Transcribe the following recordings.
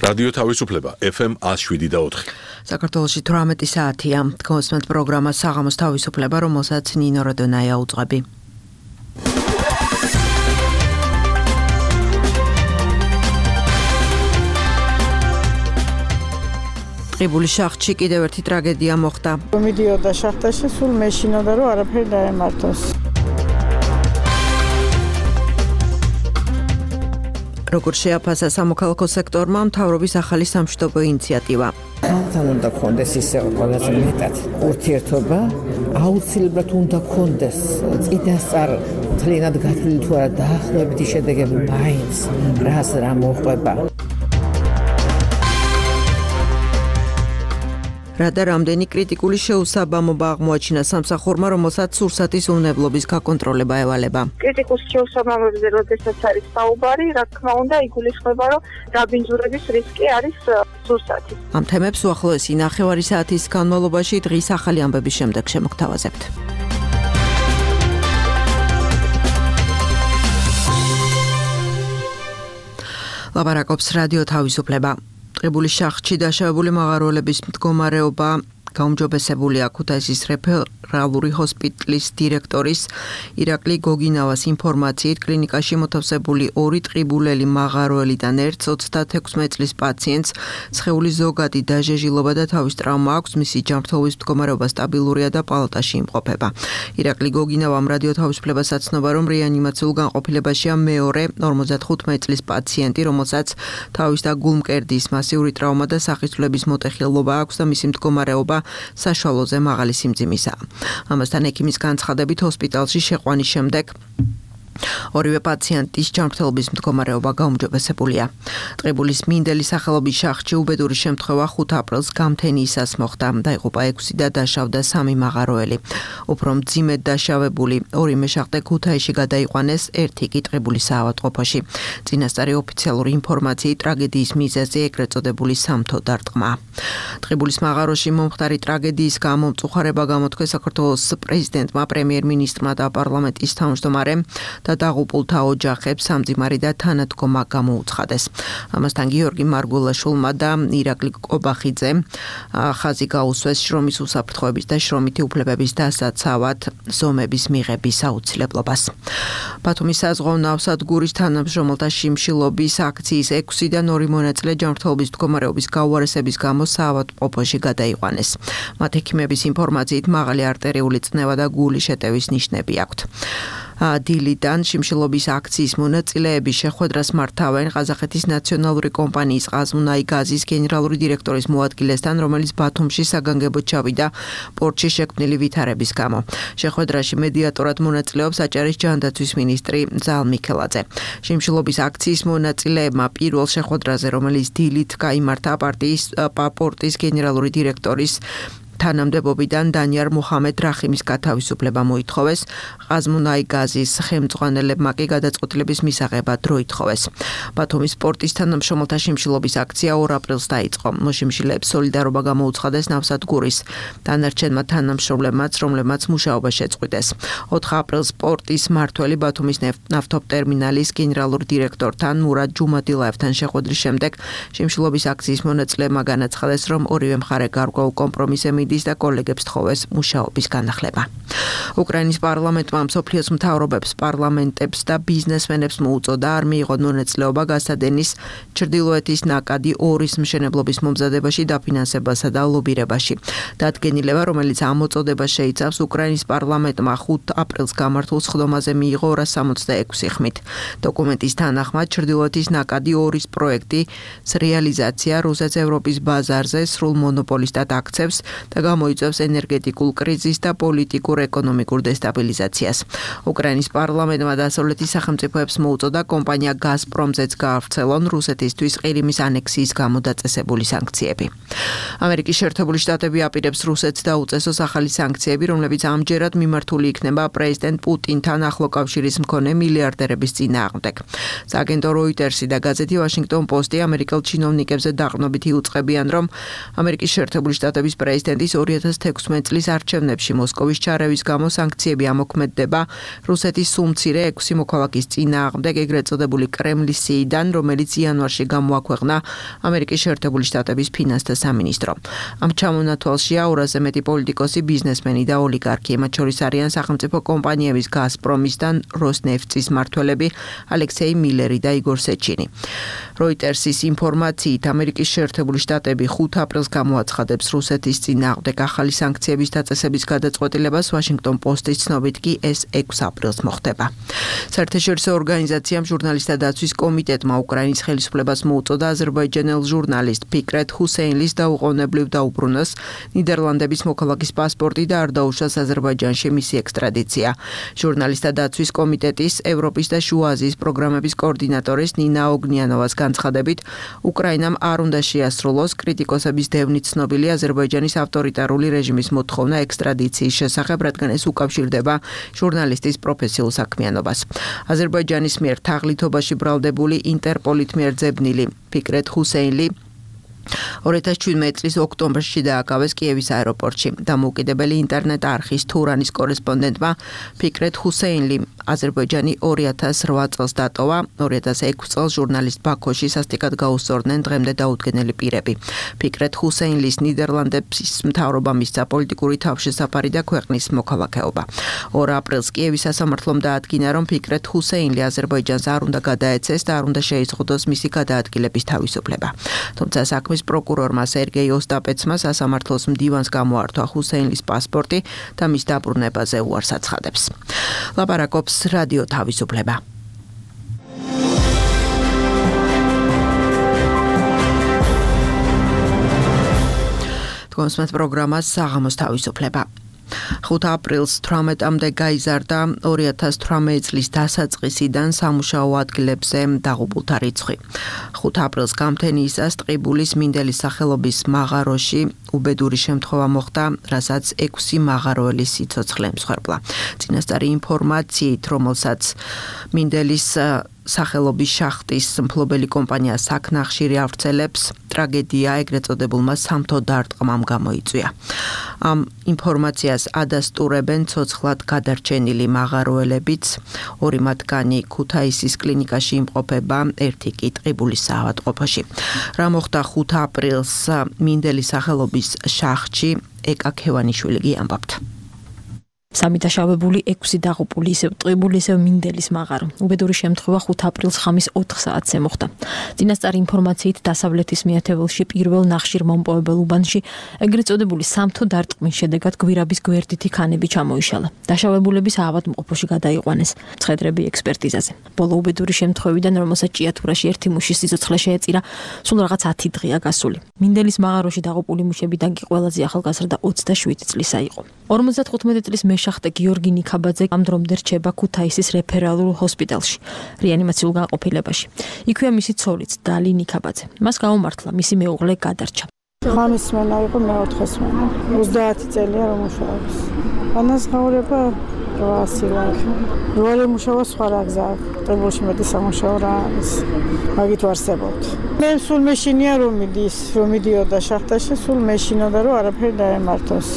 რადიო თავისუფლება FM 107.4. საქართველოში 18 საათია. გოსმენთ პროგრამა საღამოს თავისუფლება, რომელსაც ნინო როდონაია უძღვები. ტყიბულის შახტში კიდევ ერთი ტრაგედია მოხდა. მიდიოდა შახტაში, სულ მეშინოდა, რომ არაფერი დაემართოს. როგორ შეაფასა სამოქალაქო სექტორმა მთავრობის ახალი სამშვიდობო ინიციატივა. ხალხთან უნდა გქონდეს ისე ყველაზე მეტად ურთიერთობა, აუცილებლად უნდა გქონდეს წინასწარ მთლიანად გათვლილი თუ არა დაახლოებითი შედეგები მაინც რას რა მოხდება. რა და რამდენი კრიტიკული შეუსაბამობა აღმოაჩინა სამსახურმა, რომელსაც სურსათის უნებლობის გაკონტროლება ევალება. კრიტიკულ შეუსაბამობებზე როდესაც არის საუბარი, რა თქმა უნდა, იგულისხმება, რომ დაბინძურების რისკი არის სურსათი. ამ თემებს უახლოესი ნახევარი საათის განმავლობაში დღის ახალი ამბების შემდეგ შემოგთავაზებთ. ლაპარაკობს რადიო თავისუფლება. ტყიბულის შახტში დაშავებული მაღაროელების მდგომარეობა გაუმჯობესებულია. ქუთაისის რეფერალური ჰოსპიტალის დირექტორის ირაკლი გოგინავას ინფორმაციით, კლინიკაში მოთავსებული 2 ტყიბულელი მაღაროელიდან ერთ 36 წლის პაციენტს სხეულის ზოგადი დაჟეჟილობა და თავის ტრავმა აქვს. მისი ჯანმრთელობის მდგომარეობა სტაბილურია და პალატაში იმყოფება. ირაკლი გოგინავამ რადიო თავისუფლებას აცნობა, რომ რეანიმაციულ განყოფილებაშია მეორე 55 წლის პაციენტი, რომელსაც თავის და გულმკერდის მასიური ტრავმა და სახისრულების მოტეხილობა აქვს და მისი მდგომარეობა საშუალოზე მაღალი სიმძიმისაა. ამასთან ექიმის განცხადებით ჰოსპიტალში შეყვანის შემდეგ ორივე პაციენტის ჯანმრთელობის მდგომარეობა გაუმჯობესებულია. ტყიბულის მინდელი სახელობის შახტში უბედური შემთხვევა 5 აპრილს გამთენიისას მოხდა. დაიღუპა 6 და დაშავდა 3 მაღაროელი. უფრო მძიმედ დაშავებული 2 მეშახტე ქუთაისში გადაიყვანეს, 1 კი ტყიბულის საავადმყოფოში. წინასწარი ოფიციალური ინფორმაციით ტრაგედიის მიზეზი ეგრეთ წოდებული სამთო დარტყმა. ტყიბულის მაღაროში მომხდარი ტრაგედიის გამო მწუხარება გამოთქვეს საქართველოს პრეზიდენტმა, პრემიერ-მინისტრმა და პარლამენტის თავმჯდომარემ და დაღუპულთა ოჯახებს სამძიმარი და თანადგომა გამოუცხადეს. ამასთან გიორგი მარგულაშვილმა და ირაკლი კობახიძე ხაზი გაუსვეს შრომის უსაფრთხოების და შრომითი უფლებების დასაცავად ზომების მიღების აუცილებლობას. ბათუმის საზღვაო ნავსადგურის თანამშრომელთა შიმშილობის აქციის 6-დან 2 მონაწილე ჯანმრთელობის მდგომარეობის გაუარესების გამო საავადმყოფოში გადაიყვანეს. მათ ექიმების ინფორმაციით მაღალი არტერიული წნევა და გულის შეტევის ნიშნები აქვთ. დილიდან შიმშილობის აქციის მონაწილეები შეხვედრას მართავენ ყაზახეთის ნაციონალური კომპანიის ყაზმუნაი გაზის გენერალური დირექტორის მოადგილესთან, რომელიც ბათუმში საგანგებოდ ჩავიდა პორტში შექმნილი ვითარების გამო. შეხვედრაში მედიატორად მონაწილეობს აჭარის ჯანდაცვის მინისტრი ზალ მიქელაძე. შიმშილობის აქციის მონაწილეებმა პირველ შეხვედრაზე, რომელიც დილით გაიმართა პორტის გენერალური დირექტორის თანამდებობიდან დანიარ მუჰამედ რახიმის გათავისუფლება მოითხოვეს. ყაზმუნაი გაზის ხელმძღვანელებმა კი გადაწყვეტილების მისაღებად დრო ითხოვეს. ბათუმის პორტის თანამშრომელთა შიმშილობის აქცია 2 აპრილს დაიწყო. მოშიმშილეებს სოლიდარობა გამოუცხადეს ნავსადგურის დანარჩენმა თანამშრომლებმაც, რომლებმაც მუშაობა შეწყვიტეს. 4 აპრილს პორტის მმართველი ბათუმის ნავთობტერმინალის გენერალურ დირექტორთან მურად ჯუმადილაევთან შეხვედრის შემდეგ შიმშილობის აქციის მონაწილეებმა განაცხადეს, რომ ორივე მხარე გარკვეულ კომპრომისზე და კოლეგებს თხოვეს მუშაობის განახლება. უკრაინის პარლამენტმა მსოფლიოს მთავრობებს, პარლამენტებს და ბიზნესმენებს მოუწოდა არ მიიღონ მონაწილეობა გასადენის ჩრდილოეთის ნაკადი 2-ის მშენებლობის მომზადებაში, დაფინანსებასა და ლობირებაში. დადგენილება, რომელიც ამ მოწოდებას შეიცავს, უკრაინის პარლამენტმა 5 აპრილს გამართულ სხდომაზე მიიღო 266 ხმით. დოკუმენტის თანახმად ჩრდილოეთის ნაკადი 2-ის პროექტის რეალიზაცია რუსეთს ევროპის ბაზარზე სრულ მონოპოლისტად აქცევს და გამოიწვევს ენერგეტიკულ კრიზისს და პოლიტიკურ ეკონომიკურ დესტაბილიზაციას. უკრაინის პარლამენტმა დასავლეთის სახელმწიფოებს მოუწოდა კომპანია გაზპრომზეც გაავრცელონ რუსეთისთვის ყირიმის ანექსიის გამო დაწესებული სანქციები. ამერიკის შეერთებული შტატები აპირებს რუსეთს დაუწესოს ახალი სანქციები, რომლებიც ამჯერად მიმართული იქნება პრეზიდენტ პუტინთან ახლო კავშირის მქონე მილიარდერების წინააღმდეგ. სააგენტო როიტერსი და გაზეთი ვაშინგტონ პოსტი ამერიკელ ჩინოვნიკებზე დაყრდნობით იუწყებიან, რომ ამერიკის შეერთებული შტატების პრეზიდენტის 2016 წლის არჩევნებში მოსკოვის ჩარევის გამო სანქციები ამოქმედდება რუსეთის სულ-მცირე 6 მოქალაქის წინააღმდეგ, ეგრეთ წოდებული კრემლის სიიდან, რომელიც იანვარში გამოაქვეყნა ამერიკის შეერთებული შტატების ფინანსთა სამინისტრო. ამ ჩამონათვალში 200-ზე მეტი პოლიტიკოსი, ბიზნესმენი და ოლიგარქი, მათ შორის არიან სახელმწიფო კომპანიების გაზპრომის და როსნეფტის მმართველები ალექსეი მილერი და იგორ სეჩინი. როიტერსის ინფორმაციით, ამერიკის შეერთებული შტატები 5 აპრილს გამოაცხადებს რუსეთის წინააღმდეგ ახალი სანქციების დაწესების გადაწყვეტილებას, ვაშინგტონ პოსტის ცნობით კი ეს 6 აპრილს მოხდება. საერთაშორისო ორგანიზაციამ ჟურნალისტთა დაცვის კომიტეტმა უკრაინის ხელისუფლებას მოუწოდა აზერბაიჯანელ ჟურნალისტ ფიკრეთ ჰუსეინლის დაუყოვნებლივ დაუბრუნოს ნიდერლანდების მოქალაქის პასპორტი და არ დაუშვას აზერბაიჯანში მისი ექსტრადიცია. ჟურნალისტთა დაცვის კომიტეტის ევროპის და შუა აზიის პროგრამების კოორდინატორის ნინა ოგნიანოვას განცხადებით, უკრაინამ არ უნდა შეასრულოს კრიტიკოსების დევნით ცნობილი აზერბაიჯანის ავტორიტარული რეჟიმის მოთხოვნა ექსტრადიციის შესახებ, რადგან ეს უკავშირდება ჟურნალისტის პროფესიულ საქმიანობას. აზერბაიჯანის მიერ თაღლითობაში ბრალდებული ინტერპოლით მიერ ძებნილი ფიკრეთ ჰუსეინლი 2017 წლის ოქტომბერში დააკავეს კიევის აეროპორტში. დამოუკიდებელი ინტერნეტ არხის თურანის კორესპონდენტმა ფიკრეთ ჰუსეინლი აზერბაიჯანი 2008 წელს დატოვა. 2006 წელს ჟურნალისტ ბაქოში სასტიკად გაუსწორდნენ დღემდე დაუდგენელი პირები. ფიკრეთ ჰუსეინლის ნიდერლანდების მთავრობამ მისცა პოლიტიკური თავშესაფარი და ქვეყნის მოქალაქეობა. 2 აპრილს კიევის სასამართლომ დაადგინა, რომ ფიკრეთ ჰუსეინლი აზერბაიჯანს არ უნდა გადაეცეს და არ უნდა შეიზღუდოს მისი გადაადგილების თავისუფლება. თუმცა საქმის პროკურორმა სერგეი ოსტაპეცმა სასამართლოს მდივანს გამოართვა ჰუსეინლის პასპორტი და მის დაბრუნებაზე უარს აცხადებს. ლაპარაკობს რადიო თავისუფლება. თქვენს პროგრამას საღამოს თავისუფლება. 5 აპრილს 18-მდე გაიზარდა 2018 წლის დასაწყისიდან სამუშაო ადგილებზე დაღუპულთა რიცხვი. 5 აპრილს გამთენიისას ტყიბულის მინდელის სახელობის მაღაროში უბედური შემთხვევა მოხდა, რასაც 6 მაღაროელი სიცოცხლე ემსხვერპლა. წინასწარი ინფორმაციით, რომელსაც მინდელის სახელობის შახტის მფლობელი კომპანია საქნახშირი ავრცელებს, ტრაგედია ეგრეთ წოდებულმა სამთო დარტყმამ გამოიწვია. ამ ინფორმაციას ადასტურებენ ცოცხლად გადარჩენილი მაღაროელებიც, 2 მათგანი ქუთაისის კლინიკაში იმყოფება, 1 კი ტყიბულის საავადმყოფოში. რა მოხდა 5 აპრილს მინდელის სახელობის შახტში, ეკა ქევანიშვილი კი ამბობთ. სამი დაშავებული 6 დაღუპული ისევ ტყიბული ისევ მინდელის მაღარო. უბედური შემთხვევა 5 აპრილს ხამის 4 საათზე მოხდა. წინასწარი ინფორმაციით დასავლეთის მიათეველში პირველ ნახშირმომპოვებელ უბანში ეგრეთ წოდებული სამთო დარტყმის შედეგად გვირაბის გვერდითი ქანები ჩამოიშალა. დაშავებულები საავადმყოფოში გადაიყვანეს მხედრები ექსპერტიზაზე. ბოლო უბედური შემთხვევიდან, რომელსაც ჭიათურაში 1 მუშის სიცოცხლე შეეწირა, სულ რაღაც 10 დღეა გასული. მინდელის მაღაროში დაღუპული მუშებიდან კი ყველაზე ახალგაზრდა 27 წლისა იყო. 55 წლის მეშახტე გიორგი ნიქაბაძე ამ დრომდე რჩება ქუთაისის რეფერალურ ჰოსპიტალში, რეანიმაციულ განყოფილებაში. იქვეა მისი ცოლიც, დალი ნიქაბაძე. მას გაუმართლა მისი მეუღლე გადარჩა. ხამის სმენა იყო მე-4 სმენა. 30 წელია რომ მუშაობს. განაზღაურება 800 ლარი. როალი მუშაობა სხვა რა გზა აქვს. ტებულში მეტი სამუშაო რა არის. მაგით ვარსებობთ. მე სულ მეშინია რომ მიდიოდა შახტაში, სულ მეშინოდა რომ არაფერი დაემართოს.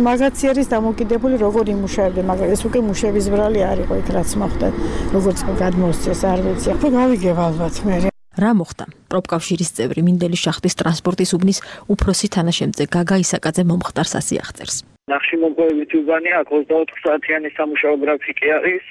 მაგაცი არის დამოკიდებული როგორ იმუშავებდა, მაგრამ ეს უკვე მუშების ბრალი არ იყო იქ რაც მოხდა. როგორც გადმოსცეს არ ვიცი. ხო გავიგებ ალბათ მე. რა მოხდა? პროფკავშირის წევრი მინდელის შახტის ტრანსპორტის უბნის უფროსი თანაშემწე გაგა ისაკაძე მომხდარს ასიახწერს. ნახშირმომპოვებითი უბანი აქ 24 საათიანი სამუშაო გრაფიკი არის,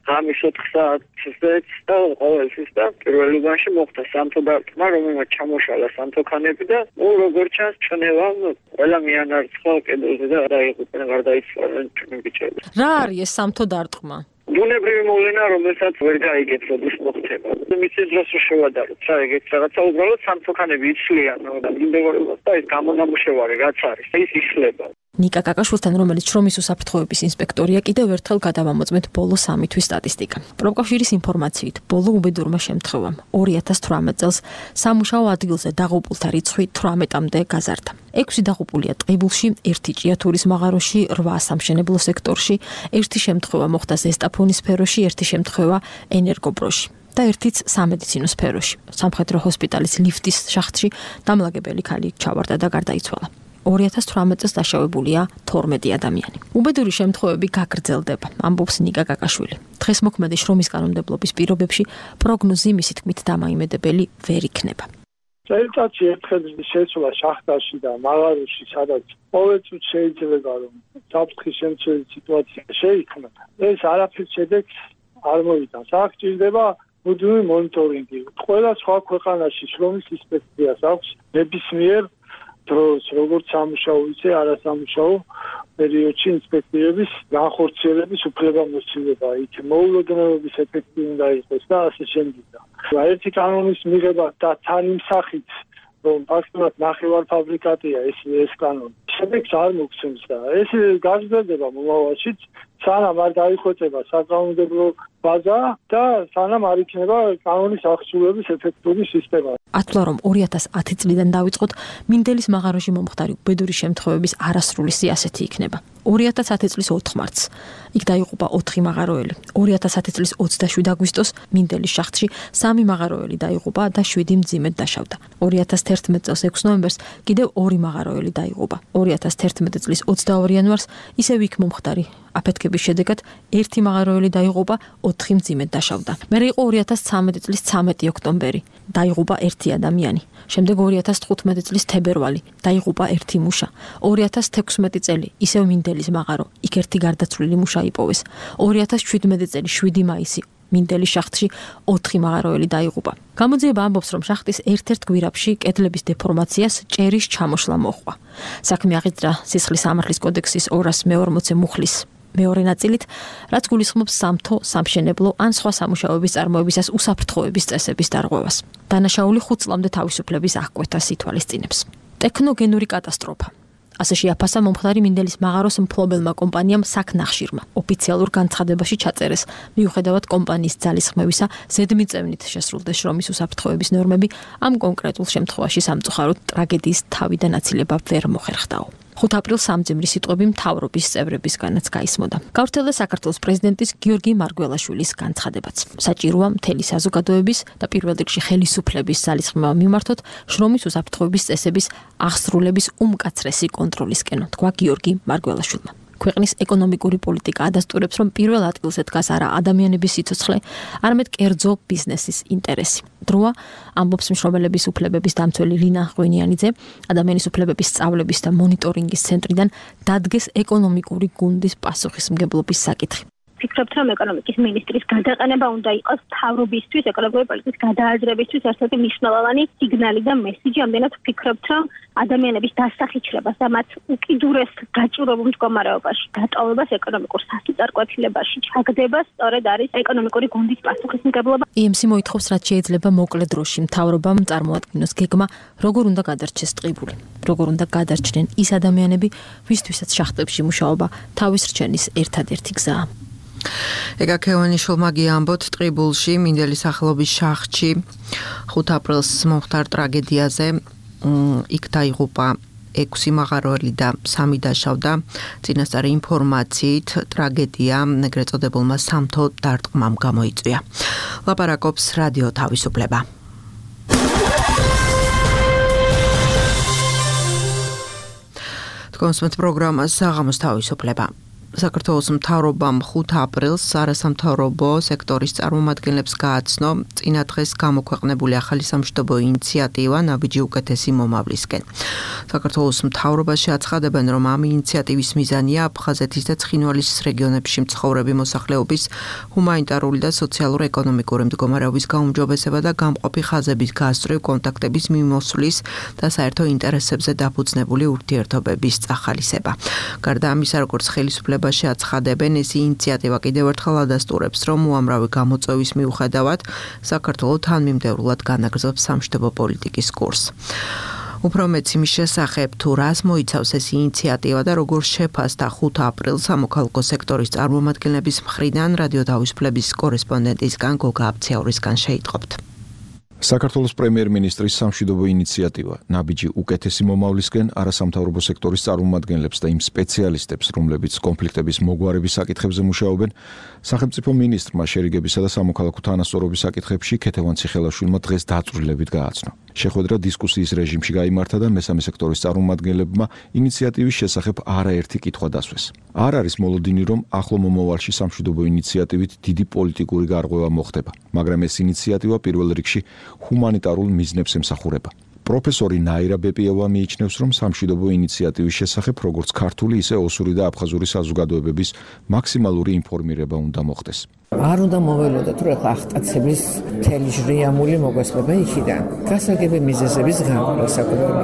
ღამის 4 საათზეც და ყოველთვის და პირველ უბანში მოხდა სამთო დარტყმა, რომელმაც ჩამოშალა სამთო ქანები და როგორც ჩანს ჩნევამ ყველა მიანარცხა კედელზე და დაიღუპნენ, გარდაიცვალნენ ჩვენი ბიჭები. რა არის ეს სამთო დარტყმა? ბუნებრივი მოვლენა, რომელსაც ვერ გაიგებს, როდის მოხდება. მისთვის დროს შევადაროთ, რა ეგეც რაღაცა უბრალოდ სამთო ქანები იცვლიან და მიმდევრულად და ეს გამონამუშევარი რაც არის, ის იშლება. ნიკა კაკაშვილთან, რომელიც შრომის უსაფრთხოების ინსპექტორია, კიდევ ერთხელ გადავამოწმეთ ბოლო 3 თვის სტატისტიკა. პროფკავშირის ინფორმაციით, ბოლო უბედურმა შემთხვევამ 2018 წელს სამუშაო ადგილზე დაღუპულთა რიცხვი 18-მდე გაზარდა. 6 დაღუპულია ტყიბულში, 1 ჭიათურის მაღაროში, 8 სამშენებლო სექტორში, 1 შემთხვევა მოხდა ზესტაფონის სფეროში, 1 შემთხვევა ენერგობროში და 1-იც სამედიცინო სფეროში. სამხედრო ჰოსპიტალის ლიფტის შახტში დამლაგებელი ქალი ჩავარდა და გარდაიცვალა. 2018 წელს დაშავებულია 12 ადამიანი. უბედური შემთხვევები გაგრძელდება, ამბობს ნიკა კაკაშვილი. დღეს მოქმედი შრომის კანონმდებლობის პირობებში პროგნოზი მისი თქმით დამაიმედებელი ვერ იქნება. წელიწადში ერთხელ შეცვლა შახტაში და მაღაროში, სადაც ყოველწუთი შეიძლება რომ საფრთხის შემცველი სიტუაცია შეიქმნა. ეს არაფერს შედეგს არ მოიტანს. აქ ჭირდება მუდმივი მონიტორინგი. ყველა სხვა ქვეყანაში შრომის ინსპექციას აქვს ნებისმიერ დროს, როგორც სამუშაო, ისე არასამუშაო პერიოდში ინსპექტორების განხორციელების უფლებამოსილება, იქ მოულოდნელობის ეფექტი უნდა იყოს და ასე შემდეგ. ერთი კანონის მიღება და თან იმ სახით, რომ ფაქტობრივად ნახევარფაბრიკატია ეს კანონი. შედეგს არ მოგცემს და ეს გაგრძელდება მომავალშიც, სანამ არ დაიხვეწება საკანონმდებლო ბაზა და სანამ არ იქნება კანონის აღსრულების ეფექტური სისტემა. ათვლა რომ 2010 წლიდან დავიწყოთ, მინდელის მაღაროში მომხდარი უბედური შემთხვევების არასრული სიასეთი იქნება. 2010 წლის 4 მარტს იქ დაიღუპა 4 მაღაროელი. 2010 წლის 27 აგვისტოს მინდელის შახტში 3 მაღაროელი დაიღუპა და 7 მძიმედ დაშავდა. 2011 წელს 6 ნოემბერს კიდევ 2 მაღაროელი დაიღუპა. 2011 წლის 22 იანვარს ისევ იქ მომხდარი აფეთქების შედეგად 1 მაღაროელი დაიღუპა, 4 მძიმედ დაშავდა. მერე იყო 2013 წლის 13 ოქტომბერი. დაიღუპა 1 ადამიანი. შემდეგ 2015 წლის თებერვალი. დაიღუპა 1 მუშა. 2016 წელი ისევ მინდელის მაღარო. იქ 1 გარდაცვლილი მუშა იპოვეს. 2017 წელი 7 მაისი მინდელის შახტში 4 მაღაროელი დაიღუპა. გამოძიება ამბობს, რომ შახტის ერთ-ერთ გვირაბში კედლების დეფორმაციას ჭერის ჩამოშლა მოჰყვა. საქმე აღიძრა სისხლის სამართლის კოდექსის 240 მუხლის მეორე ნაწილით, რაც გულისხმობს სამთო, სამშენებლო ან სხვა სამუშაოების წარმოებისას უსაფრთხოების წესების დარღვევას. დანაშაული 5 წლამდე თავისუფლების აღკვეთას ითვალისწინებს. ტექნოგენური კატასტროფა. ასე შეაფასა მომხდარი მინდელის მაღაროს მფლობელმა კომპანიამ საქნახშირმა. ოფიციალურ განცხადებაში ჩაწერეს, მიუხედავად კომპანიის ძალისხმევისა, ზედმიწევნით შესრულდეს შრომის უსაფრთხოების ნორმები, ამ კონკრეტულ შემთხვევაში სამწუხაროდ ტრაგედიის თავი და ნაცილება ვერ მოხერხდაო. 5 აპრილს სამძიმრი სიტყვები მთავრობის წევრებისგანაც გაისმოდა. გავრცელდა საქართველოს პრეზიდენტის გიორგი მარგველაშვილის განცხადებაც. საჭიროა მთელი საზოგადოების და პირველ რიგში ხელისუფლების ძალისხმევა მიმართოთ შრომის უსაფრთხოების წესების აღსრულების უმკაცრესი კონტროლისკენ, თქვა გიორგი მარგველაშვილმა. ქვეყნის ეკონომიკური პოლიტიკა ადასტურებს, რომ პირველ ადგილზე დგას არა ადამიანების სიცოცხლე, არამედ კერძო ბიზნესის ინტერესი. დროა, ამბობს მშრომელების უფლებების დამცველი ლინა ღვინიანიძე, ადამიანის უფლებების სწავლების და მონიტორინგის ცენტრიდან დადგეს ეკონომიკური გუნდის პასუხისმგებლობის საკითხი. ვფიქრობთ, რომ ეკონომიკის მინისტრის გადაყენება უნდა იყოს მთავრობისთვის, ეკონომიკური პოლიტიკის გადააზრებისთვის ერთ-ერთი მნიშვნელოვანი სიგნალი და მესიჯი. ამდენად ვფიქრობთ, რომ ადამიანების დასახიჩრებას და მათ უკიდურეს გაჭირებულ მდგომარეობაში, დატოვებას ეკონომიკურ სასწარკვეთილებაში ჩაგდება სწორედ არის ეკონომიკური გუნდის პასუხისმგებლობა. EMC მოითხოვს, რაც შეიძლება მოკლე დროში მთავრობამ წარმოადგინოს გეგმა, როგორ უნდა გადარჩეს ტყიბული, როგორ უნდა გადარჩნენ ის ადამიანები, ვისთვისაც შახტებში მუშაობა თავის რჩენის ერთადერთი გზაა. ეგა ქევანიშვილმა გიამბოთ ტყიბულში მინდელის სახელობის შახტში 5 აპრილს მომხდარ ტრაგედიაზე. იქ დაიღუპა 6 მაღაროელი და 3 დაშავდა. წინასწარი ინფორმაციით ტრაგედია ეგრეთ წოდებულმა სამთო დარტყმამ გამოიწვია. ლაპარაკობს რადიო თავისუფლება. თქვენს პროგრამას საღამოს თავისუფლება. საქართველოს მთავრობამ 5 აპრილს არასამთავრობო სექტორის წარმომადგენლებს გააცნო წინა დღეს გამოქვეყნებული ახალი სამშვიდობო ინიციატივა ნაბიჯი უკეთესი მომავლისკენ. საქართველოს მთავრობაში აცხადებენ, რომ ამ ინიციატივის მიზანია აფხაზეთის და ცხინვალის რეგიონებში მცხოვრები მოსახლეობის ჰუმანიტარული და სოციალურ-ეკონომიკური მდგომარეობის გაუმჯობესება და გამყოფი ხაზების გასწვრივ კონტაქტების მიმოსვლის და საერთო ინტერესებზე დაფუძნებული ურთიერთობების წახალისება. გარდა ამისა, როგორც ხელისუფლება შეაცხადებენ, ეს ინიციატივა კიდევ ერთხელ ადასტურებს, რომ უამრავი გამოწვევის მიუხედავად საქართველო თანმიმდევრულად განაგრძობს სამშვიდობო პოლიტიკის კურსს. უფრო მეც იმის შესახებ, თუ რას მოიცავს ეს ინიციატივა და როგორ შეფასდა 5 აპრილს სამოქალაქო სექტორის წარმომადგენლების მხრიდან რადიო თავისუფლების კორესპონდენტისგან გოგა აბციაურისგან შეიტყობთ. საქართველოს პრემიერ-მინისტრის სამშვიდობო ინიციატივა ნაბიჯი უკეთესი მომავლისკენ არასამთავრობო სექტორის წარმომადგენლებს და იმ სპეციალისტებს, რომლებიც კონფლიქტების მოგვარების საკითხებზე მუშაობენ, სახელმწიფო მინისტრმა შერიგებისა და სამოქალაქო თანასწორობის საკითხებში ქეთევან ციხელაშვილმა დღეს დაწვრილებით გააცნო. შეხვედრა დისკუსიის რეჟიმში გაიმართა და მესამე სექტორის წარმომადგენლებმა ინიციატივის შესახებ არაერთი კითხვა დასვეს. არ არის მოლოდინი, რომ ახლო მომავალში სამშვიდობო ინიციატივით დიდი პოლიტიკური გარღვევა მოხდება, მაგრამ ეს ინიციატივა პირველ რიგში ჰუმანიტარულ მიზნებს ემსახურება. პროფესორი ნაირა ბეპიევა მიიჩნევს, რომ სამშვიდობო ინიციატივის შესახებ როგორც ქართული, ისე ოსური და აფხაზური საზოგადოებების მაქსიმალური ინფორმირება უნდა მოხდეს. არ უნდა მოველოდოთ, რომ ახტაცების მთელი ჟრიამული მოგესმება იქიდან. გასაგები მიზეზების გამო საკუთრება.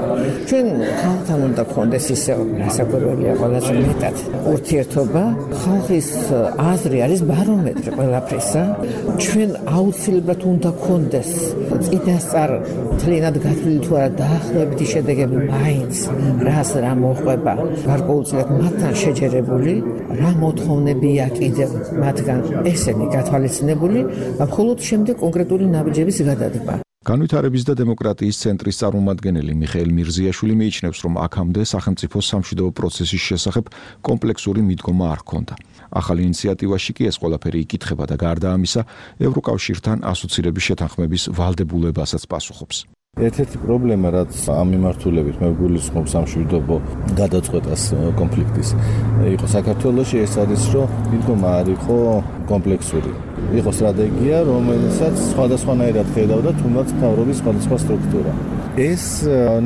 ჩვენ ხალხთან უნდა გქონდეს ისე საკუთრებია ყველაზე მეტად ურთიერთობა, ხალხის აზრი არის ბარომეტრი ყველაფრისა. ჩვენ აუცილებლად უნდა გქონდეს წინასწარ მთლიანად გათვლილი თუ არა დაახლოებითი შედეგები მაინც რას რა მოყვება. გარკვეულწილად მათთან შეჯერებული, რა მოთხოვნებია კიდევ მათგან ესენი გათვალისწინებული და მხოლოდ შემდეგ კონკრეტული ნაბიჯების გადადგმა. განვითარების და დემოკრატიის ცენტრის წარმომადგენელი მიხეილ მირზიაშვილი მიიჩნევს, რომ აქამდე სახელმწიფოს სამშვიდობო პროცესის შესახებ კომპლექსური მიდგომა არ ჰქონდა. ახალ ინიციატივაში კი ეს ყველაფერი იკითხება და გარდა ამისა, ევროკავშირთან ასოცირების შეთანხმების ვალდებულებასაც პასუხობს. ერთ-ერთი პრობლემა, რაც ამ მიმართულებით მე გულისხმობს სამშვიდობო გადაწყვეტას კონფლიქტის, იყო საქართველოში ეს არის, რომ მიდგომა არ იყო კომპლექსური. იყო სტრატეგია, რომელსაც სხვადასხვანაირად ხედავდა თუნდაც მთავრობის სხვადასხვა სტრუქტურა. ეს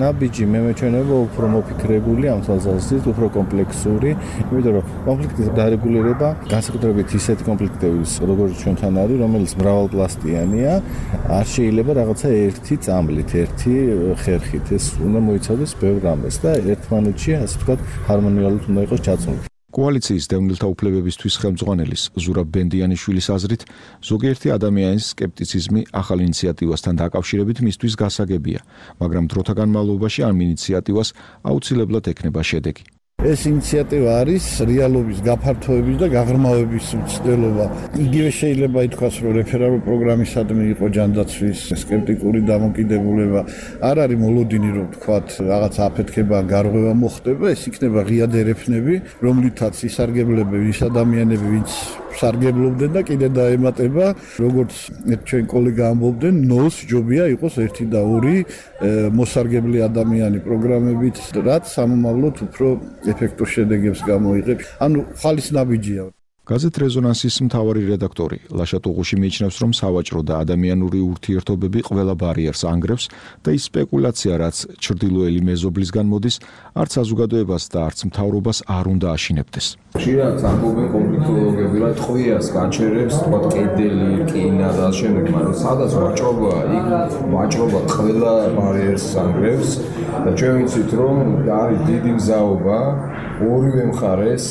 ნაბიჯი მე მეჩვენება უფრო მოფიქრებული, ამ თვალსაზრისით უფრო კომპლექსური, იმიტომ რომ კონფლიქტის დარეგულირება განსაკუთრებით ისეთი კონფლიქტების, როგორც ჩვენთან არის, რომელიც მრავალპლასტიანია, არ შეიძლება რაღაცა ერთი წამლით, ერთი ხერხით. ეს უნდა მოიცავდეს ბევრ რამეს და ერთმანეთში, ასე ვთქვათ, ჰარმონიულად უნდა იყოს ჩაცმული. კოალიციის დევნილთა უფლებებისთვის ხელმძღვანელის ზურაბ ბენდიანიშვილის აზრით, ზოგიერთი ადამიანის სკეპტიციზმი ახალ ინიციატივასთან დაკავშირებით მისთვის გასაგებია, მაგრამ დროთა განმავლობაში ამ ინიციატივას აუცილებლად ექნება შედეგი. ეს ინიციატივა არის რეალობის გაფართოების და გაღრმავების მცდელობა. იგივე შეიძლება ითქვას, რომ რეფერალურ პროგრამისადმი იყო ჯანდაცვის სკეპტიკური დამოკიდებულება. არ არის მოლოდინი, რომ თქვათ, რაღაც აფეთქება, გარღვევა მოხდება, ეს იქნება ღია დერეფნები, რომლითაც ისარგებლებენ ის ადამიანები, ვინც სარგებლობდნენ და კიდე დაემატება, როგორც ჩვენ კოლეგა ამბობდნენ, ნოლს ჯობია იყოს 1 და 2 მოსარგებლე ადამიანი პროგრამებით, რაც სამომავლოდ უფრო ეფექტურ შედეგებს გამოიღებს. ანუ ხალის ნაბიჯია. გაზეთ რეზონანსის მთავარი რედაქტორი ლაშა ტუღუში მიიჩნევს, რომ სავაჭრო და ადამიანური ურთიერთობები ყველა ბარიერს ანგრევს და ის სპეკულაცია, რაც ჩრდილოელი მეზობლისგან მოდის, არც საზოგადოებას და არც მთავრობას არ უნდა აშინებდეს. ხშირად ამბობენ კონფლიქტოლოგები, რომ ტყვიას გაჩერებს, თქვა კედელი, რკინა და შემდეგ, მაგრამ სადაც ვაჭრობაა, იქ ვაჭრობა ყველა ბარიერს ანგრევს და ჩვენ ვიცით, რომ არის დიდი მზაობა ორივე მხარეს,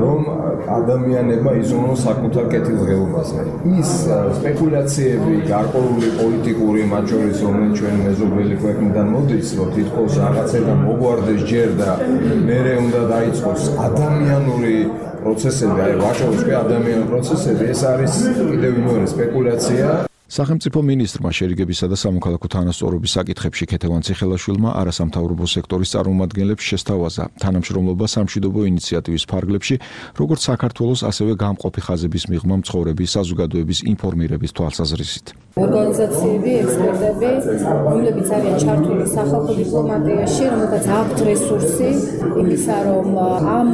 რომ ადამიანებმა იზრუნოს საკუთარ კეთილდღეობაზე. ის სპეკულაციები, გარკვეული პოლიტიკური, მათ შორის რომელიც ჩვენი მეზობელი ქვეყნიდან მოდის, რომ თითქოს რაღაცებთან მოგვარდეს ჯერ და მერე უნდა დაიწყოს ადამიანური პროცესები, აი ვაჭრობის კი ადამიანური პროცესები, ეს არის კიდევ მეორე სპეკულაცია. სახელმწიფო მინისტრმა შერიგებისა და სამოქალაქო თანასწორობის საკითხებში ქეთევან ციხელაშვილმა არასამთავრობო სექტორის წარმომადგენლებს შესთავაზა თანამშრომლობა სამშვიდობო ინიციატივის ფარგლებში, როგორც საქართველოს, ასევე გამყოფი ხაზების მიღმა მცხოვრების საზოგადოების ინფორმირების თვალსაზრისით. ორგანიზაციები, ექსპერტები, რომლებიც არიან ჩართული სახალხო დიპლომატიაში, რომელთაც აქვთ რესურსი იმისა, რომ ამ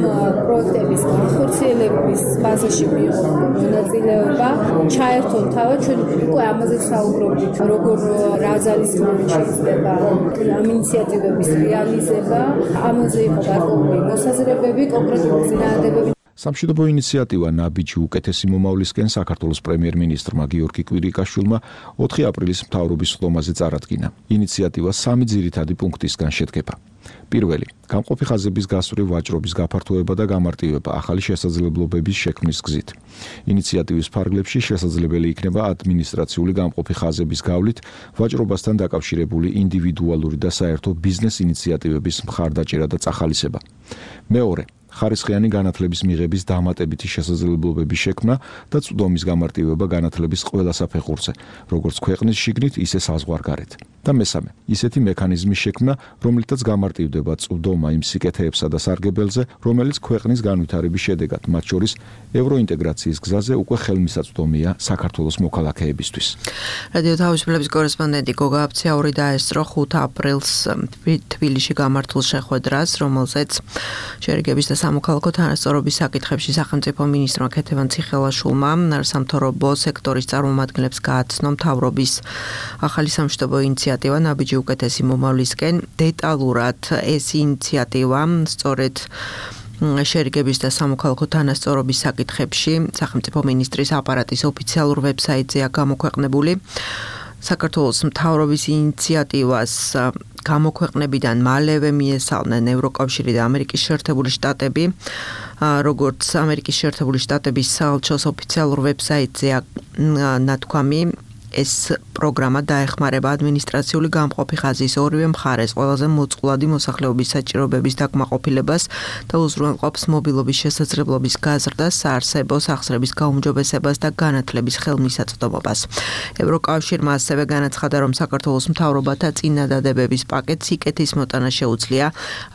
პროექტების განხორციელების ფაზაში მიიღონ მონაწილეობა, ჩაერთონ თავად ჩვენ უკვე ამაზე საუბრობთ, როგორ რა ძალისხმევით შეიძლება ამ ინიციატივების რეალიზება, ამაზე იყო გარკვეული მოსაზრებები, კონკრეტული წინააღმდეგობები. სამშვიდობო ინიციატივა ნაბიჯი უკეთესი მომავლისკენ საქართველოს პრემიერ-მინისტრმა გიორგი კვირიკაშვილმა 4 აპრილის მთავრობის ხდომაზე წარადგინა. ინიციატივა 3 ძირითადი პუნქტისგან შედგება. პირველი, გამყოფი ხაზების გასწვრივ ვაჭრობის გაფართოება და გამარტივება ახალი შესაძლებლობების შექმნის გზით. ინიციატივის ფარგლებში შესაძლებელი იქნება ადმინისტრაციული გამყოფი ხაზების გავლით ვაჭრობასთან დაკავშირებული ინდივიდუალური და საერთო ბიზნეს ინიციატივების მხარდაჭერა და წახალისება. მეორე, ხარისხიანი განათლების მიღების დამატებითი შესაძლებლობების შექმნა და წვდომის გამარტივება განათლების ყველა საფეხურზე, როგორც ქვეყნის შიგნით, ისე საზღვარგარეთ. და მესამე, ისეთი მექანიზმის შექმნა, რომლითაც გამარტივდება წვდომა იმ სიკეთეებსა და სარგებელზე, რომელიც ქვეყნის განვითარების შედეგად, მათ შორის ევროინტეგრაციის გზაზე უკვე ხელმისაწვდომია საქართველოს მოქალაქეებისთვის. რადიო თავისუფლების კორესპონდენტი გოგა აფციაური დაესწრო 5 აპრილს თბილისში გამართულ შეხვედრას, რომელზეც შერიგების და სამოქალაქო თანასწორობის საკითხებში სახელმწიფო მინისტრმა ქეთევან ციხელაშვილმა სამთავრობო სექტორის წარმომადგენლებს გააცნო მთავრობის ახალი სამშვიდობო ინიციატივა ნაბიჯი უკეთესი მომავლისკენ. დეტალურად ეს ინიციატივა სწორედ შერიგების და სამოქალაქო თანასწორობის საკითხებში სახელმწიფო მინისტრის აპარატის ოფიციალურ ვებსაიტზეა გამოქვეყნებული. საქართველოს მთავრობის ინიციატივას გამოქვეყნებიდან მალევე მიესალმნენ ევროკავშირი და ამერიკის შეერთებული შტატები, როგორც ამერიკის შეერთებული შტატების საელჩოს ოფიციალურ ვებსაიტზეა ნათქვამი. ეს პროგრამა დაეხმარება ადმინისტრაციული გამყოფი ხაზის ორივე მხარეს ყველაზე მოწყვლადი მოსახლეობის საჭიროებების დაკმაყოფილებას და უზრუნველყოფს მობილობის შესაძლებლობის გაზრდას, საარსებო სახსრების გაუმჯობესებას და განათლების ხელმისაწვდომობას. ევროკავშირმა ასევე განაცხადა, რომ საქართველოს მთავრობათა წინადადებების პაკეტს სიკეთის მოტანა შეუძლია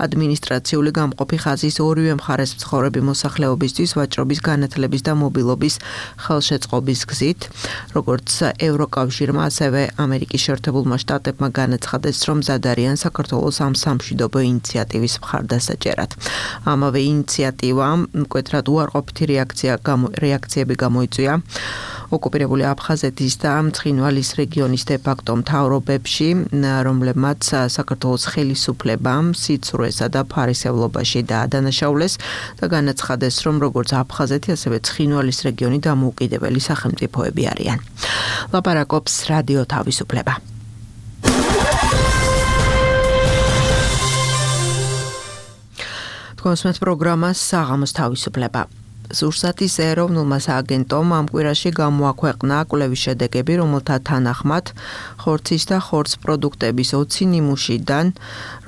ადმინისტრაციული გამყოფი ხაზის ორივე მხარეს მცხოვრები მოსახლეობისთვის ვაჭრობის, განათლების და მობილობის ხელშეწყობის გზით, როგორც ევროკავშირმა ასევე ამერიკის შეერთებულმა შტატებმა განაცხადეს, რომ მზად არიან საქართველოს ამ სამშვიდობო ინიციატივის მხარდასაჭერად. ამავე ინიციატივამ მკვეთრად უარყოფითი რეაქციები გამოიწვია ოკუპირებული აფხაზეთის და ცხინვალის რეგიონის დე-ფაქტო მთავრობებში, რომლებმაც საქართველოს ხელისუფლებამ სიცრუესა და ფარისევლობაში დაადანაშაულეს და განაცხადეს, რომ როგორც აფხაზეთი, ასევე ცხინვალის რეგიონი დამოუკიდებელი სახელმწიფოები არიან. ლაპარაკობს რადიო თავისუფლება. თქვენს პროგრამას საღამოს თავისუფლება. სურსათის ეროვნულმა სააგენტომ ამ კვირაში გამოაქვეყნა კვლევის შედეგები, რომელთა თანახმად ხორცის და ხორცს პროდუქტების 20 ნიმუშიდან,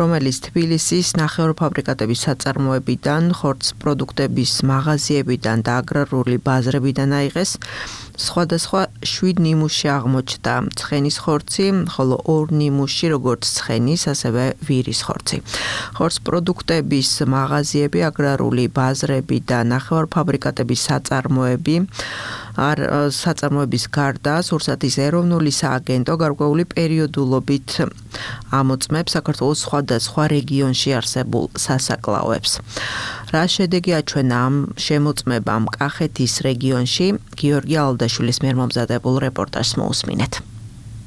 რომელიც თბილისის ნახევარფაბრიკატების საწარმოებიდან, ხორცს პროდუქტების მაღაზიებიდან და აგრარული ბაზრებიდან აიღეს, სხვადასხვა 7 ნიმუში აღმოჩნდა ცხენის ხორცი, ხოლო 2 ნიმუში როგორც ცხენის, ასევე ვირის ხორცი. ხორცს პროდუქტების მაღაზიები, აგრარული ბაზრები და ნახევარფაბრიკატების საწარმოების გარდა სურსათის ეროვნული სააგენტო გარკვეული პერიოდულობით ამოწმებს საქართველოს სხვადასხვა რეგიონში არსებულ სასაკლაოებს. რა შედეგი აჩვენა ამ შემოწმებამ კახეთის რეგიონში? გიორგი ალდაშვილის მიერ მომზადებულ რეპორტაჟს მოусმინეთ.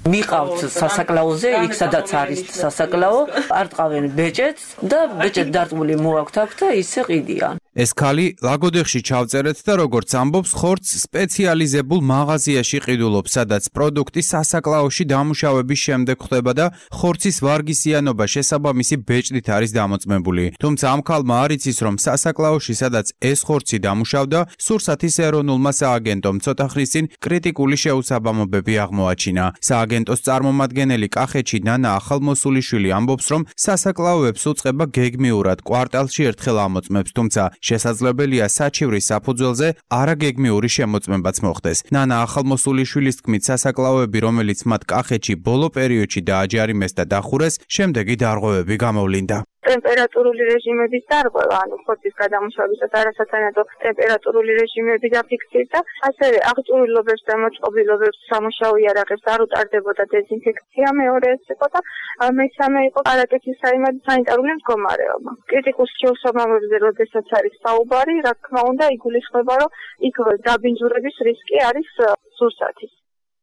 მიყავთ სასაკლაოზე, იქ სადაც არის სასაკლაო, არტყავენ ბეჭედს და ბეჭედ დარტყმული მოაქვთ აქ და ისე ყიდიან. ეს ქალი ლაგოდეხში ჩავწერეთ და როგორც ამბობს, ხორცს სპეციალიზებულ მაღაზიაში ყიდულობს, სადაც პროდუქტი სასაკლაოში დამუშავების შემდეგ ხდება და ხორცის ვარგისიანობა შესაბამისი ბეჭდით არის დამოწმებული. თუმცა ამ ქალმა არ იცის, რომ სასაკლაოში, სადაც ეს ხორცი დამუშავდა, სურსათის ეროვნულმა სააგენტომ ცოტა ხნის წინ კრიტიკული შეუსაბამობები აღმოაჩინა. სააგენტოს წარმომადგენელი კახეთში ნანა ახალმოსულიშვილი ამბობს, რომ სასაკლაოებს უწყება გეგმიურად კვარტალში ერთხელ ამოწმებს, თუმცა შესაძლებელია საჩივრის საფუძველზე არაგეგმიური შემოწმებაც მოხდეს. ნანა ახალმოსულიშვილის თქმით, სასაკლაოები, რომელიც მათ კახეთში ბოლო პერიოდში დააჯარიმეს და დახურეს, შემდეგი დარღვევები გამოვლინდა. ტემპერატურული რეჟიმების დარღვევა, ანუ ხორცის გადამუშავებისას არასათანადო ტემპერატურული რეჟიმები დაფიქსირდა, ასევე აღჭურვილობებს და მოწყობილობებს სამუშაო იარაღებს არ უტარდებოდა დეზინფექცია, მეორე ეს იყო და მესამე იყო არაკეთის სანიტარული მდგომარეობა. კრიტიკულ შეუსაბამობებზე, როდესაც არის საუბარი, რა თქმა უნდა, იგულისხმება, რომ იქ დაბინძურების რისკი არის სურსათის.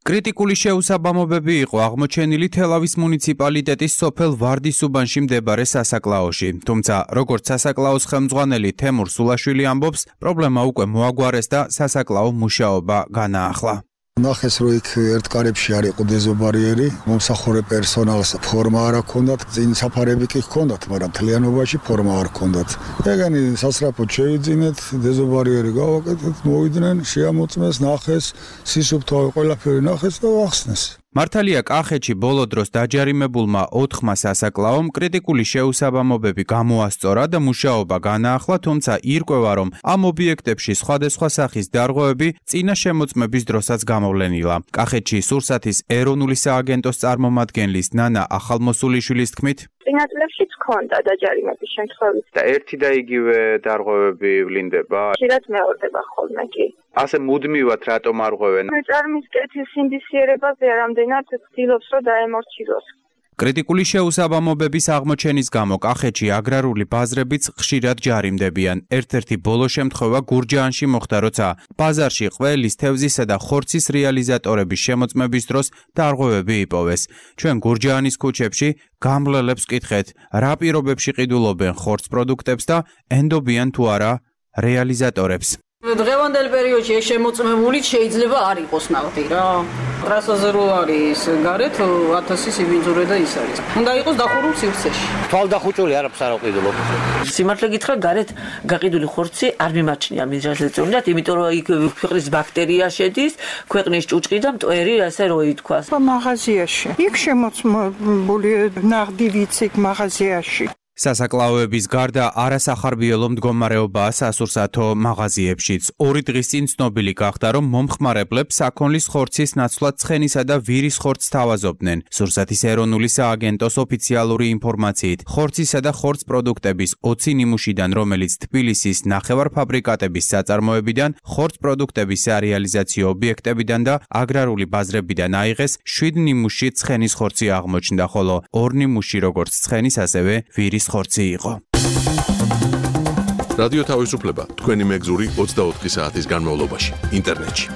კრიტიკული შეუსაბამობები იყო აღმოჩენილი თელავის მუნიციპალიტეტის სოფელ ვარდისუბანში მდებარე სასაკლაოში. თუმცა, როგორც სასაკლაოს ხელმძღვანელი თემურ სულაშვილი ამბობს, პრობლემა უკვე მოაგვარეს და სასაკლაო მუშაობა განაახლა. ნახეს, რომ იქ ერთ კარებში არ იყო დეზობარიერი, მომსახურე პერსონალს ფორმა არ ჰქონდათ, წინ საფარები კი ჰქონდათ, მაგრამ მთლიანობაში ფორმა არ ჰქონდათ. ეგენი სასწრაფოდ შევიძინეთ, დეზობარიერი გავაკეთეთ, მოვიდნენ, შეამოწმეს, ნახეს, სისუფთავე ყველაფერი ნახეს და ახსნეს. მართალია კახეთში ბოლო დროს დაჯარიმებულმა 4 სასაკლაომ კრიტიკული შეუსაბამობები გამოასწორა და მუშაობა განაახლა, თუმცა ირკვევა, რომ ამ ობიექტებში სხვადასხვა სახის დარღვევები წინა შემოწმების დროსაც გამოვლენილა. კახეთში სურსათის ეროვნული სააგენტოს წარმომადგენლის ნანა ახალმოსულიშვილის თქმით, წინა წლებშიც ჰქონდა დაჯარიმების შემთხვევები. და ერთი და იგივე დარღვევები ვლინდება? ხშირად მეორდება ხოლმე კი. ასე მუდმივად რატომ არ ღვევენ? მეწარმის კეთის ინდისიერებაზე რამდენად ცდილობს, რომ დაემორჩილოს. კრიტიკული შეუსაბამობების აღმოჩენის გამო კახეთში აგრარული ბაზრებიც ხშირად ჯარიმდებიან. ერთ-ერთი ბოლო შემთხვევა გურჯაანში მოხდა, როცა ბაზარში ყველის, თევზისა და ხორცის რეალიზატორების შემოწმების დროს დარღვევები იპოვეს. ჩვენ გურჯაანის ქუჩებში გამლელებს ვკითხეთ, რა პირობებში ყიდულობენ ხორცს პროდუქტებს და ენდობიან თუ არა რეალიზატორებს. დღევანდელ პერიოდში ეს შემოწმებული შეიძლება არ იყოს ნავთი რა. ტრასაზე რო არის გარეთ 1000 სიბინძურე და ის არის. უნდა იყოს დახურულ სივრცეში. თვალდახუჭული არაფერს არ აყიდულობ. სიმართლე გითხრა, გარეთ გაყიდული ხორცი არ მიმაჩნია მიზრალეწონად, იმიტომ რომ იქ ქვეყნის ბაქტერია შედის, ქვეყნის ჭუჭყი და მტვერი, ასე რო ითქვას. მაღაზიაში. იქ შემოწმებული ნაღდი ვიცით მაღაზიაში. სასაკლაოების გარდა არასახარბიელო მდგომარეობაა სასურსათო მაღაზიებშიც. 2 დღის წინ ცნობილი გახდა, რომ მომხმარებლებს საქონლის ხორცის ნაცვლად ცხენისა და ვირის ხორცს თავაზობდნენ. სურსათის ეროვნული სააგენტოს ოფიციალური ინფორმაციით, ხორცისა და ხორც პროდუქტების 20 ნიმუშიდან, რომელიც თბილისის ნახევარფაბრიკატების საწარმოებიდან, ხორც პროდუქტების სარეალიზაციო ობიექტებიდან და აგრარული ბაზრებიდან აიღეს, 7 ნიმუში ცხენის ხორცი აღმოჩნდა, ხოლო 2 ნიმუში როგორც ცხენის, ასევე ვირის ხორცი იყო. რადიო თავისუფლება თქვენი მეგზური 24 საათის განმავლობაში ინტერნეტში.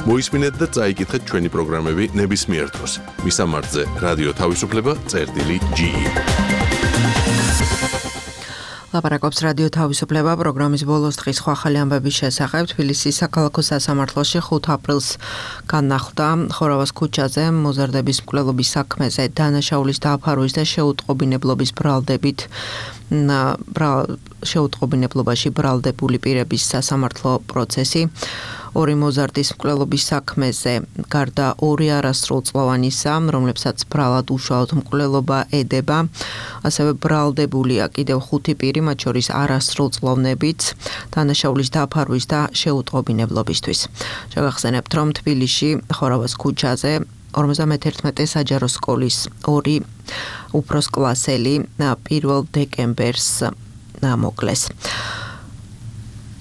მოისმინეთ და წაიკითხეთ ჩვენი პროგრამები ნებისმიერ დროს. მისამართზე რადიო თავისუფლება.ge. ლაპარაკობს რადიო თავისუფლება პროგრამის ბოლოს დღის ხვალ ამბების შესახებ. თბილისის საქალაქო სასამართლოში 5 ապრილს განახლდა ხორავას ქუჩაზე მოზარდების მკვლელობის საქმეზე დანაშაულის დააფარვის და შეუტყობინებლობის ბრალდებით შეუტყობინებლობაში ბრალდებული პირების სასამართლო პროცესი. 2 მოზარდის მკვლელობის საქმეზე გარდა 2 არასრულწლოვანისა, რომლებსაც ბრალად უშუალოდ მკვლელობა ედება, ასევე ბრალდებულია კიდევ 5 პირი, მათ შორის არასრულწლოვნებიც დანაშაულის დააფარვის და შეუტყობინებლობისთვის. შეგახსენებთ, რომ თბილისში ხორავას ქუჩაზე 51 საჯარო სკოლის 2 უფროსკლასელი 1 დეკემბერს მოკლეს.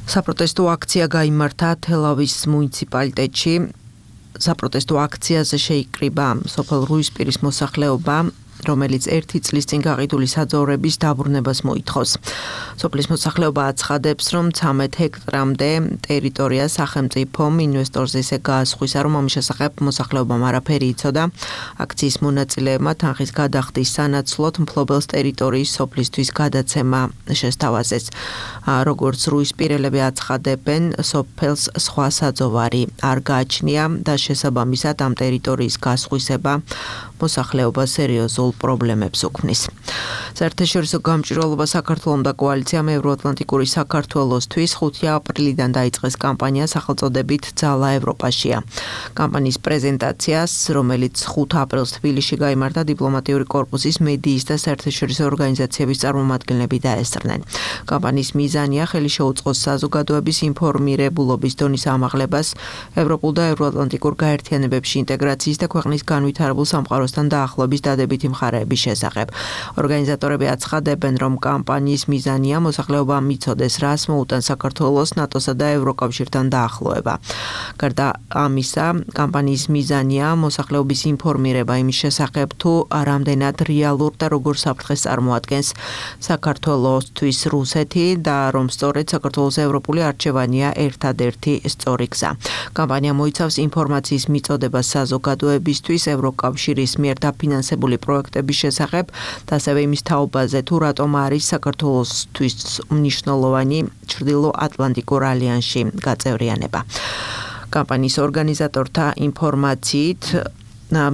საპროტესტო აქცია გაიმართა თელავის მუნიციპალიტეტში. საპროტესტო აქციაზე შეიკრიბა სოფელ რუისპირის მოსახლეობა, რომელიც 1 წლის წინ გაყიდული საძოვრების დაბრუნებას მოითხოვს. სოფლის მოსახლეობა აცხადებს, რომ 13 ჰექტრამდე ტერიტორია სახელმწიფომ ინვესტორს ესე გაასხვისა, რომ ამის შესახებ მოსახლეობამ არაფერი იცოდა. აქციის მონაწილეებმა თანხის გადახდის სანაცვლოდ მფლობელს ტერიტორიის სოფლისთვის გადაცემა შესთავაზეს. როგორც რუისპირელები აცხადებენ, სოფელს სხვა საძოვარი არ გააჩნია და შესაბამისად ამ ტერიტორიის გასხვისება მოსახლეობა სერიოზულ პრობლემებს უქმნის. საერთაშორისო გამჭვირვალობა საქართველომ და კოალიციამ ევროატლანტიკური საქართველოსთვის 5 აპრილიდან დაიწყეს კამპანია სახელწოდებით ძალა ევროპაშია. კამპანიის პრეზენტაციას, რომელიც 5 აპრილს თბილისში გაიმართა, დიპლომატიური კორპუსის, მედიის და საერთაშორისო ორგანიზაციების წარმომადგენლები დაესწრნენ. კამპანიის მიზანია ხელი შეუწყოს საზოგადოების ინფორმირებულობის დონის ამაღლებას, ევროპულ და ევროატლანტიკურ გაერთიანებებში ინტეგრაციის და ქვეყნის განვითარებულ სამყაროსთან დაახლოების დადებითი მხარეების შესახებ. ორგანიზატორები აცხადებენ, რომ კამპანიის მიზანია მოსახლეობა მიცოდეს, რას მოუტან საქართველოს ნატოსა და ევროკავშირთან დაახლოება. გარდა ამისა, კამპანიის მიზანია მოსახლეობის ინფორმირება იმის შესახებ, თუ რამდენად რეალურ და როგორ საფრთხეს წარმოადგენს საქართველოსთვის რუსეთი და რომ სწორედ საქართველოს ევროპული არჩევანია ერთადერთი სწორი გზა. კამპანია მოიცავს ინფორმაციის მიწოდებას საზოგადოებისთვის ევროკავშირის მიერ დაფინანსებული პროექტების შესახებ და ასევე იმის თაობაზე, თუ რატომ არის საქართველოსთვის მნიშვნელოვანი ჩრდილო-ატლანტიკურ ალიანსში გაწევრიანება. კამპანიის ორგანიზატორთა ინფორმაციით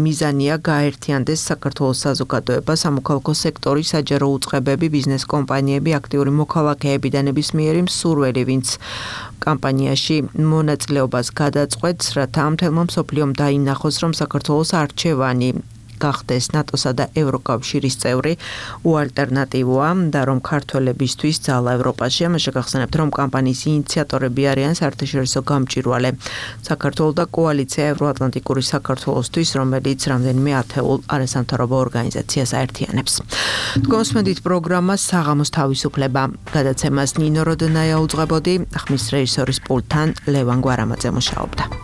მიზანია გაერთიანდეს საქართველოს საზოგადოება, სამოქალაქო სექტორი, საჯარო უწყებები, ბიზნეს კომპანიები, აქტიური მოქალაქეები და ნებისმიერი მსურველი, ვინც კამპანიაში მონაწილეობას გადაწყვეტს, რათა მთელმა მსოფლიომ დაინახოს, რომ საქართველოს არჩევანი გახდეს ნატოსა და ევროკავშირის წევრი უალტერნატივოა და რომ ქართველებისთვის ძალა ევროპაში. ამაში გახსენებთ, რომ კამპანიის ინიციატორები არიან საერთაშორისო გამჭვირვალე საქართველოს და კოალიცია ევროატლანტიკური საქართველოსთვის, რომელიც რამდენიმე ათეულ არასამთავრობო ორგანიზაციას აერთიანებს. თქვენსმენდით პროგრამა საღამოს თავისუფლება. გადაცემას ნინო როდნაია უძღვებოდი, ხმის რეჟისორის პულტთან ლევან გვარამაძე მუშაობდა.